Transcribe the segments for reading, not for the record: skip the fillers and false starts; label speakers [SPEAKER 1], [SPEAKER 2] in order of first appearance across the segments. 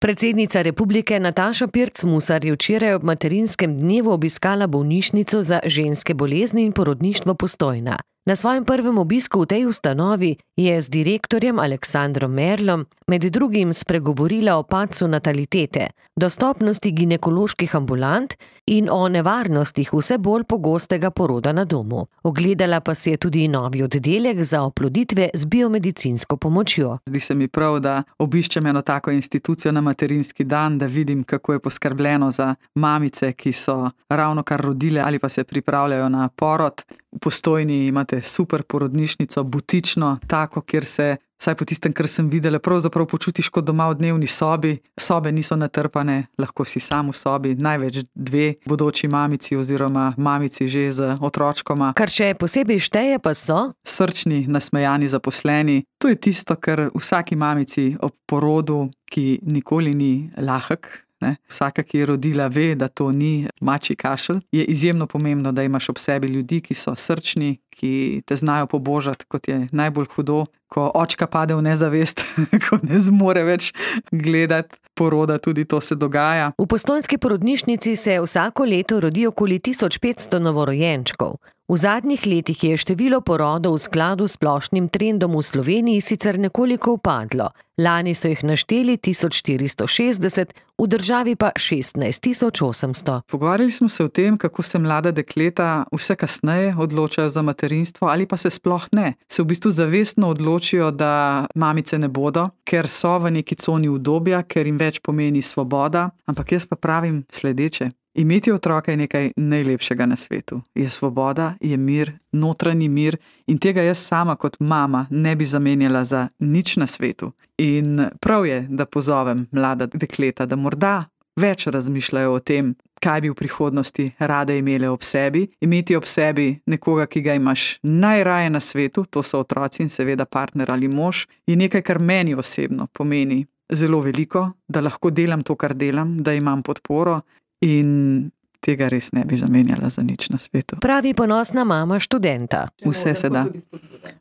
[SPEAKER 1] Predsednica republike Nataša Pirc Musar je včeraj ob materinskem dnevu obiskala bolnišnico za ženske bolezni in porodništvo Postojna. Na svojem prvem obisku v tej ustanovi je z direktorjem Aleksandrom Merlom med drugim spregovorila o padcu natalitete, dostopnosti ginekoloških ambulant in o nevarnostih vse bolj pogostega poroda na domu. Ogledala pa si je tudi novi oddelek za oploditve z biomedicinsko pomočjo.
[SPEAKER 2] Zdi se mi prav, da obiščem eno tako institucijo na materinski dan, da vidim, kako je poskrbljeno za mamice, ki so ravnokar rodile ali pa se pripravljajo na porod. V Postojni imate super porodnišnico, butično, tako, kjer se, vsaj po tistem, kar sem videla, pravzaprav počutiš kot doma v dnevni sobi. Sobe niso natrpane, lahko si sam v sobi, največ 2 bodoči mamici oziroma mamici že z otročkoma.
[SPEAKER 1] Kar še posebej šteje pa so
[SPEAKER 2] srčni, nasmejani zaposleni. To je tisto, kar vsaki mamici ob porodu, ki nikoli ni lahek, vsaka, ki je rodila, ve, da to ni mačji kašelj. Je izjemno pomembno, da imaš ob sebi ljudi, ki so srčni, ki te znajo pobožati, kot je najbolj hudo, ko očka pade v nezavest, ko ne zmore več gledati poroda, tudi to se dogaja.
[SPEAKER 1] V postojnski porodnišnici se vsako leto rodi okoli 1500 novorojenčkov. V zadnjih letih je število porodov v skladu s splošnim trendom v Sloveniji sicer nekoliko upadlo. Lani so jih našteli 1460, v državi pa 16800.
[SPEAKER 2] Pogovarjali smo se o tem, kako se mlada dekleta vse kasneje odločajo za materinstvo ali pa se sploh ne. Se v bistvu zavestno odločijo, da mamice ne bodo, ker so v neki coni udobja, ker jim več pomeni svoboda, ampak jaz pa pravim sledeče. Imeti otroka je nekaj najlepšega na svetu. Je svoboda, je mir, notranji mir in tega jaz sama kot mama ne bi zamenjala za nič na svetu. In prav je, da pozovem mlada dekleta, da morda več razmišljajo o tem, kaj bi v prihodnosti rade imele ob sebi. Imeti ob sebi nekoga, ki ga imaš najraje na svetu, to so otroci in seveda partner ali mož, je nekaj, kar meni osebno pomeni zelo veliko, da lahko delam to, kar delam, da imam podporo. In tega res ne bi zamenjala za nič na svetu.
[SPEAKER 1] Pravi ponosna mama študenta.
[SPEAKER 2] Vse se da.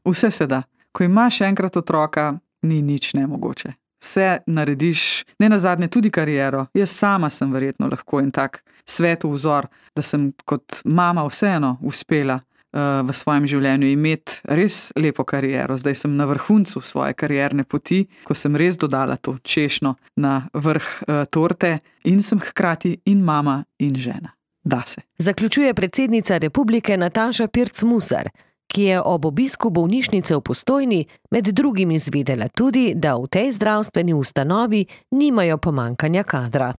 [SPEAKER 2] Vse se da. Ko imaš enkrat otroka, ni nič nemogoče. Vse narediš, ne nazadnje tudi kariero. Jaz sama sem verjetno lahko en tak svetov vzor, da sem kot mama vseeno uspela v svojem življenju imeti res lepo kariero. Zdaj sem na vrhuncu svoje karierne poti, ko sem res dodala to češnjo na vrh torte in sem hkrati in mama in žena. Da se.
[SPEAKER 1] Zaključuje predsednica republike Nataša Pirc Musar, ki je ob obisku bolnišnice v Postojni med drugim izvedela tudi, da v tej zdravstveni ustanovi nimajo pomanjkanja kadra.